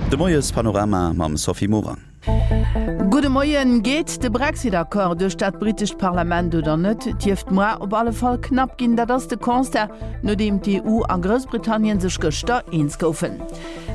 De Moiespanorama mam Sophie Morang. Gudde Moien. Geet de Brexit-Accord duerch dat brittescht Parlament oder net? Et dierft moar op alle Fall knapp ginn. Dat ass de Constat, nodeem d'EU a Groussbritannien sech gëschter eens goufen.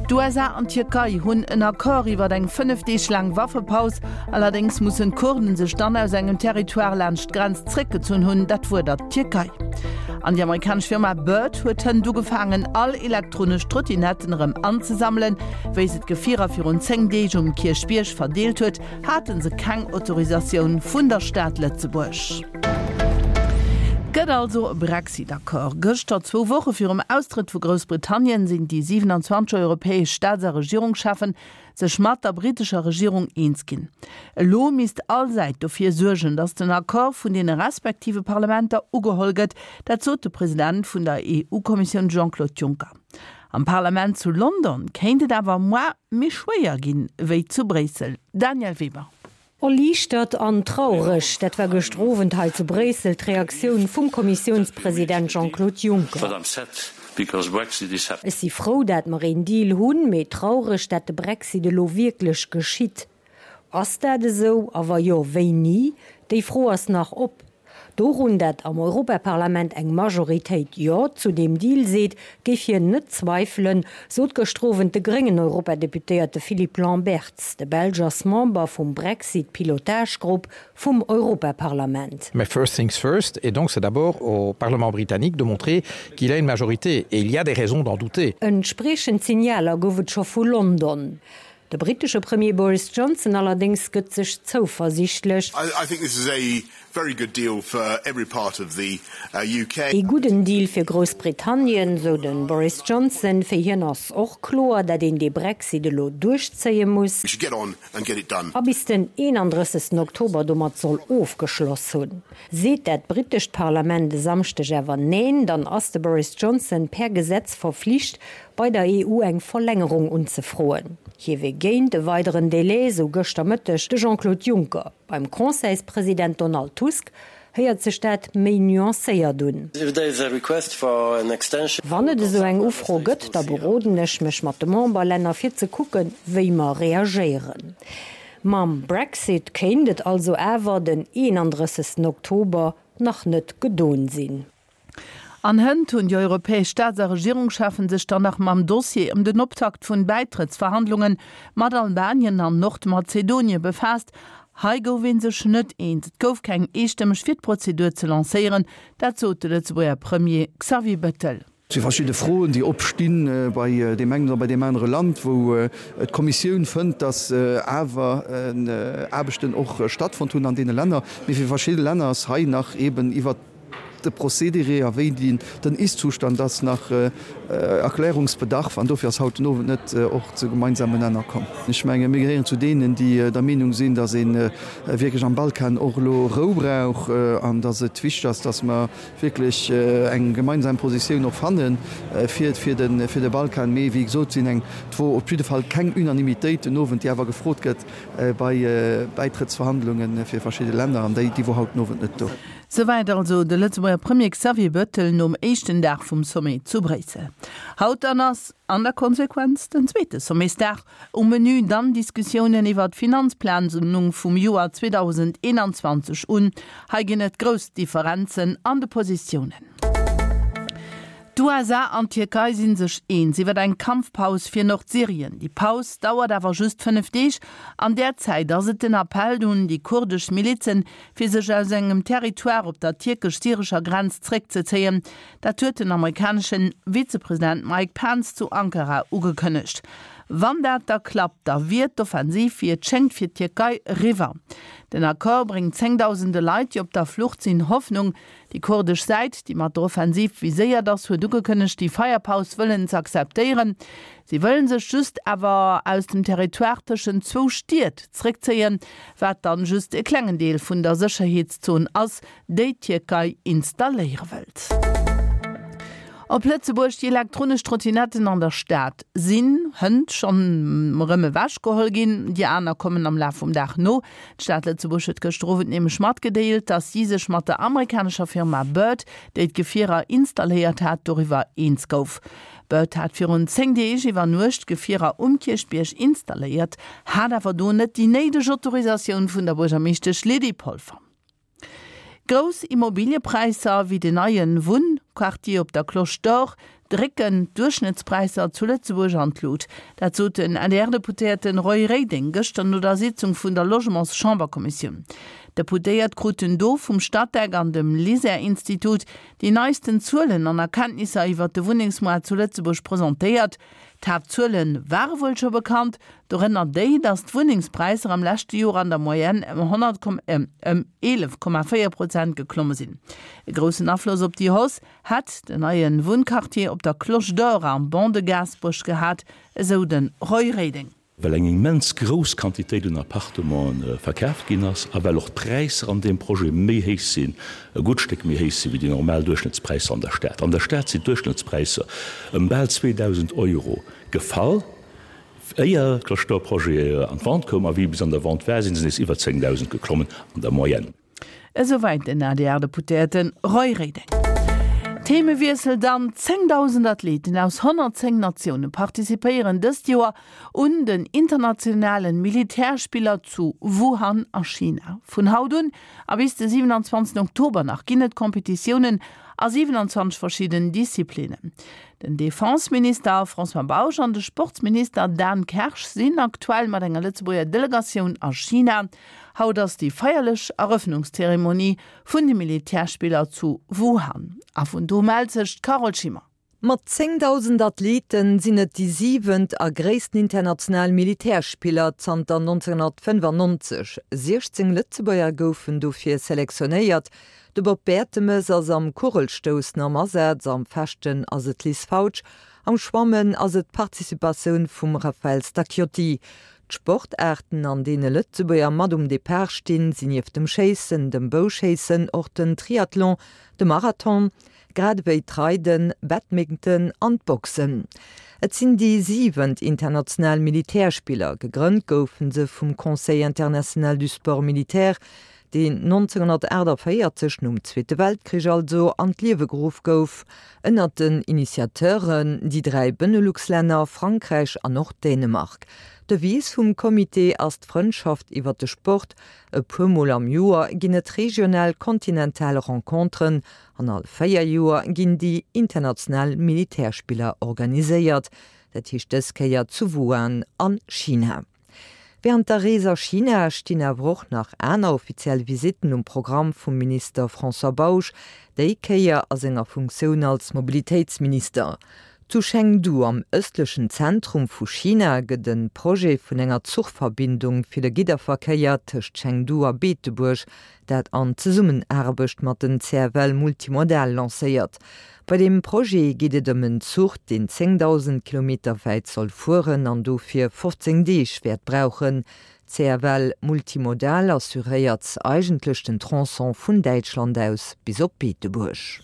D'USA an d'Tierkei hunn en Accord iwwer eng 5 Deeg laang Waffepaus. Allerdéngs mussen d'Kurden sech dann aus engem Territoire laanscht d'Grenz zréckgezunn hunn. Dat fuerdert d'Tierkei. An déi amerikanesch Firma Bird huet hënt ugefaangen, all elektronesch Trottinetten erëm anzesammelen. Wéi se d'Gefierer virun 10 Deeg um Kierchbierg verdeelt huet, hate se keng Autorisatioun vun der Stad Lëtzebuerg. Gëtt also e Brexit-Accord? Gëschter, zwou Woche virum Austrëtt vu Groussbritannien, sinn déi 27 europäesch Staats a Regierungscheffen sech mat der brittescher Regierung eens ginn. Elo misst all Säit dofir suergen, datt den Accord vun deene respektive Parlamenter ugeholl gëtt. Dat sot de President vun der EU-Kommissioun Jean-Claude Juncker. Am Parlament zu London kéint et awer moar méi schwéier ginn, wéi zu Bréissel. Danièle Weber. Erliichtert an traureg, dat war gëschter Owend hei zu Bréissel d'Reaktioun vum Kommissiounspresident Jean-Claude Juncker. Ech si frou, dat mer een Deal hunn, mee traureg, dat de Brexit elo wierklech geschitt. Ass dat esou, a wa jo, wéini? Déi Fro ass nach op. Dorun, dat am Europaparlament eng Majoritéit Jo zu deem Deal seet, géif hien net zweifelen, sot gëschter Owend de gréngen Europadeputéierte Philippe Lamberts. De Belsch ass Member vum Brexit-Pilotage-Grupp vum Europaparlament. Mais first things first, et donc c'est d'abord au Parlement britannique de montrer qu'il a une majorité, et il y a des raisons d'en douter. Entspriechend Signaler gouf et scho vu London. De brittesche Premier Boris Johnson allerdéngs gëtt sech zouversiichtlech. Ee gudden Deal fir Groussbritannien, sou de Boris Johnson. Fir hien ass och kloer, dat een dee Brexit elo duerchzéie muss. A bis den 31 Oktober domat soll ofgeschloss hunn. Seet dat brittescht Parlament e Samschdeg awer Neen, dann ass de Boris Johnson per Gesetz verflicht, bei der EU eng Verlängerung unzefroen. Hie wier géint e weideren Delai, sou gëschter Mëtteg de Jean-Claude Juncker. Beim Conseilspresident Donald Tusk héiert sech dat méi nuancéiert un. Wann et esou eng Ufro gëtt, da beroden ech mech mat de Memberlänner fir ze kucken, wéi mer reagéieren. Mam Brexit kéint et also awer den 31 Oktober nach net gedon sinn. An hënt hunn déi europäesch Staats a Regierungscheffen sech dann nach mam Dossier ëm den Optakt vun Bäitrëttsverhandlunge mat Albanien an Nordmazedonie befaasst. Hei gouf ee sech net eens. Et gouf keng Eestëmmeg fir d'Prozedur ze lancéieren, dat sot de Lëtzebuerger Premier Xavier Bettel. Et si verschidde Froen, déi opsti bei deem engen oder bei deem anere Land, wou d'Kommissioun fënnt, datt awer Aarbechten och stattfonnt hunn an deene Länner. Mee fir verschidde Länner ass hei nach eeben iwwert de Procédéré a wéi den Ist-Zustand ass, nach Erklärungsbedarf. An dofir ass haut den Owend net och zu gemeinsamen Nenner komm. Ech menge mir gehéieren zu deenen, déi der Meenung sinn, datt ee wierklech am Balkan och elo Rou brauch an datt et wichteg ass, datt mer wierklech eng gemeinsam Positioun och fanne fir fir de Balkan. Mee wéi gesot sinn eng, et wor op jidde Fall keng Unanimitéit den Owend, déi awer gefrot gëtt bei Bäitrëttsverhandlunge fir verschidde Länner, an déi déi wor haut den Owend net do. Souwäit also de Lëtzebuerger Premier Xavier Bettel nom éischten Dag vum Sommet zu Bréissel. Haut dann ass an der Konsequenz den zweete Sommetsdag. Um Menü dann Diskussiounen iwwer d'Finanzplanung vum Joer 2021 un. Hei ginn et grouss Differenzen an de Positiounen. D'USA an d'Tierkei si sech eens iwwer eng Kampfpaus fir Nordsyrien. Déi Paus dauert awer just 5 Deeg. An där Zäit ass et den Appell un déi kurdesch Milizen, fir sech aus engem Territoire op der tierkesch-syrescher Grenz zréckzezéien. Dat huet den amerikanesche Vizepresident Mike Pence zu Ankara ugekënnegt. Wann dat da klappt, da wier d'Offensiv, wéi et schéngt, fir d'Tierkei eriwwer. Den Accord bréngt zéngdausende Leit, déi op der Flucht sinn, Hoffnung. Déi kurdesch Säit, déi mat der Offensiv viséiert ass, huet ugekënnegt, déi Feierpaus wëllen z'akzeptéieren. Si wëllen sech just awer aus dem Territoire tëschent zwou Stied zréckzéien, wat dann just e klengen Deel vun der Sécherheetszon ass, déi d'Tierkei installéiere wëllt. Op Lëtzebuerg, Déi elektronesch Trottinetten an der Stad sinn hënt schonn erëm ewech geholl ginn. Déi aner kommen am Laf vum Dag no. D'Stad Lëtzebuerg huet gëschter Owend nämlech matgedeelt, datt si sech mat der amerikanescher Firma Bird, déi d'Gefierer installéiert hat, doriwwer eens gouf. Bird hat virun 10 Deeg iwwer Nuecht d'Gefierer um Kierchbierg installéiert, hat awer do net déi néideg Autorisatioun vun der Buergermeeschtesch Lydie Polfer. Grouss Immobiliëpräisser wéi den neie Wunnquartier op der Cloche d'Or drécken d'Duerchschnëttspräisser zu Lëtzebuerg an d'Lut. Dat sot den ADR-Deputéierte Roy Reding gëschter no der Sitzung vun der Logements-Chamberkommissioun. D'Deputéiert kruten do vum Statec an dem LISER-Institut déi neisten Zuelen an Erkenntnisser iwwert de Wunnengsmoart zu Lëtzebuerg presentéiert. D'Haaptzuele ware wuel scho bekannt, dorënner déi, datt d'Wunnengspräisser am leschte Joer an der Moyenne ëm 11,4 Prozent geklomme sinn. E groussen Afloss op déi Hausse hätt den neie Wunnquartier op der Cloche d'Or am Ban de Gaasperech gehat, esou de Roy Reding. Well eng immens grouss Quantitéit un Appartementen verkaaft ginn ass a well och d'Präisser an deem Projet méi héich sinn, e gutt Stéck méi héich sinn, wéi déi normal Duerchschnëttspräisser an der Stad. An der Stad sinn d'Duerchschnëttspräisser ëm bal 2.000 Euro gefall, éier de Projet an d'Vente koum, a wéi e bis an der Vente war, si se nees iwwer 10.000 geklommen an der Moyenne. Esouwäit den ADR-Deputéierte Roy Reding. Themewiessel dann, 10.000 Athleten aus 110 Natioune participéieren dëst Joer un den internationalen Militärspiller zu Wuhan a China. Vun haut un a bis de 27 Oktober nach ginn et Competitiounen a 27 verschidden Disziplinnen. Den Defenseminister François Bausch an de Sportsminister Dan Kersch sinn aktuell mat enger Lëtzebuerger Delegatioun a China. Haut ass déi feierlech Erëffnungszeremonie vun de Militärspiller zu Wuhan. A vun do mellt sech d'Carole Schimmer. Mat 10.000 Athleten sinn et déi siwent a gréissten international Militärspiller zanter 1995. 16 Lëtzebuerger goufen dofir selektionéiert. De Bob Bertemes ass am Kugelstoussen am Asaz, am Fechten ass et d'Liz Fautsch, am Schwammen ass et d'Participatioun vum Raphaël Stacchiotti. D'Sportaarten, an deene Lëtzebuerger mat um Depart stinn, sinn nieft dem Schéissen, dem Bouschéissen och den Triathlon, de Marathon, grad ewéi d'Reiden, Badminton an d'Boxen. Et sinn déi siwent international Militärspiller. Gegrënnt goufe se vum Conseil international du sport militaire, deen 1948, nom Zweete Weltkrich also, an d'Liewe geruff gouf, ënnert den Initiateuren déi 3 Benelux-Länner, Frankräich an och Dänemark. D'Devise vum Comité ass d'Frëndschaft iwwer de Sport. E puer Mol am Joer ginn et regional kontinental Renconteren an all 4 Joer ginn déi international Militärspiller organiséiert, dat heescht dës Kéier zu Wuhan a China. Wärend der Rees a China stinn awer och nach aner offiziell Visitten um Programm vum Minister François Bausch, déi Kéier a senger Funktioun als Mobilitéitsminister. Zu Chengdu, am ëstlechen Zentrum vu China, gëtt e Projet vun enger Zuchverbindung fir de Gidderverkéier tëscht Chengdu a Beetebuerg, dat an Zesummenaarbecht mat den CFL Multimodal, lancéiert. Bei deem Projet geet et ëm en Zuch, deen 10.000 Kilometer wäit soll fueren an dofir 15 Deeg wäert brauchen. CFL Multimodal assuréiert eigentlech den Tronçon vun Däitschland aus bis op Beetebuerg.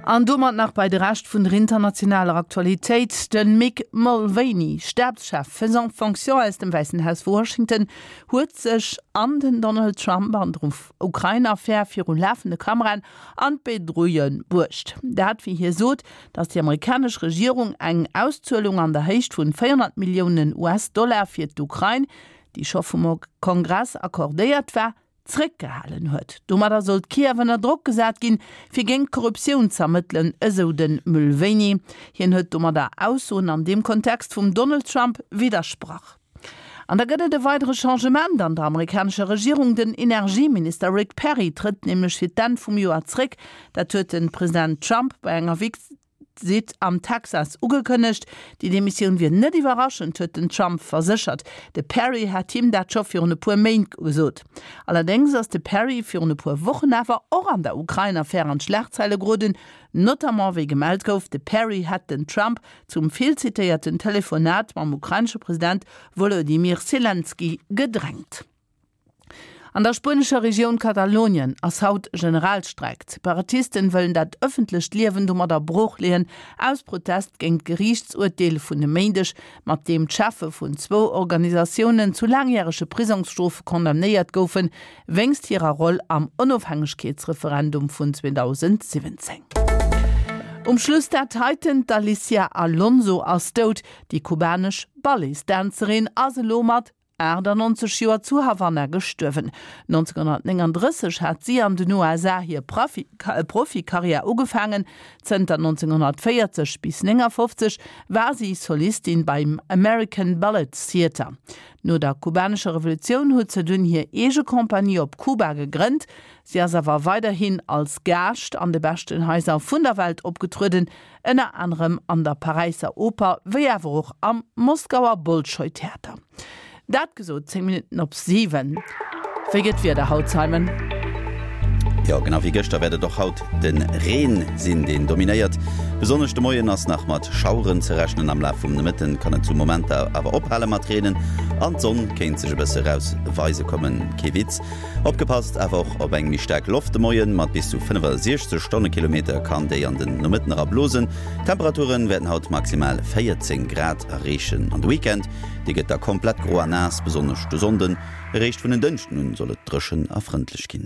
An domat nach bei de Rescht vun der internationaler Aktualitéit, De Mick Mulvaney, Stabschef faisant fonction aus dem Wäissen Haus Washington, huet sech an den Donald Trump an der Ukrain-Affär viru lafende Kameraen an d'Bedrouille bruecht. Dat, wéi hie sot, datt déi amerikanesch Regierung eng Auszuelung an der Héicht vun 400 Milliounen US-Dollar fir d'Ukrain, déi scho vum Kongress accordéiert war, zréckgehalen huet. Domadder sollt Kiew ënner Drock gesat ginn, fir géint d'Korruptioun z'ermëttelen, esou de Mulvaney. Hien huet domadder Aussoen an deem Kontext vum Donald Trump widdersprach. An da gëtt et e weidere Changement an der amerikanescher Regierung. Den Energieminister Rick Perry trëtt nämlech fir d'Enn vum Joer zréck. Dat huet de President Trump bei enger Visitt am Texas ugekënnegt. Déi Demissioun wier net iwwerraschend, huet den Trump verséchert. De Perry hat him dat scho virun e puer Méint gesot. Allerdéngs ass de Perry virun e puer Wochen awer och an der Ukrain-Affär an d'Schlagzeile geroden, notamment wéi gemellt gouf, de Perry hätt den Trump zum vill zitéierten Telefonat mam ukrainesche President Wolodymyr Selenskyj gedrängt. An der spuenescher Regioun Katalonien ass haut Generalstreik. D'Separatisten wëllen dat ëffentlecht Liewen domadder brooch leeën, aus Protest géint d'Geriichtsurteel vun e Méindeg, mat deem d'Cheffe vun zwou Organisatiounen zu laangjärege Prisongsstrofe condamnéiert goufen, wéinst hirer Roll am Onofhängegkeetsreferendum vun 2017. Um Schluss dat heiten, D'Alicia Alonso ass dout. Déi kubanesch Balletsdänzerin ass elo mat 98 Joer zu Havanna gestuerwen. 1939 hat si an den USA hir Profikarriär ugefaangen. Zënter 1940 bis 59 war si Solistin beim American Ballet Theatre. No der kubanescher Revolutioun huet se dunn hir eege Compagnie op Kuba gegrënnt. Si ass awer weiderhin als Gaascht an de beschten Haiser vun der Welt opgetrueden, ënner anerem an der Paräisser Oper, wéi awer och am Moskauer Bolschoi-Theater. Dat gesot, 10 Minutten op 7. Wéi gëtt d'Wieder haut, Simon? Jo, genau wéi gëschter wäert et och haut de Reen sinn, deen dominéiert. Besonnesch de Moien ass nach mat Schaueren ze rechnen. Am Laf vum Nomëtten kann et zu Momenter awer ophale mat Reenen an d'Sonn kéint sech e bësse raus weise kommen. Kee Witz. Opgepasst awer och op eng méi staark Loft de Moien, mat bis zu 65 Stonnekilometer kann déi an den Nomëtten era blosen. D'Temperature wäerten haut maximal 14 Grad erreechen an de Weekend, dee gëtt da komplett gro a naass, besonnesch de Sonnden. Eréischt vun en Dënschden un soll et dréchen a frëndlech ginn.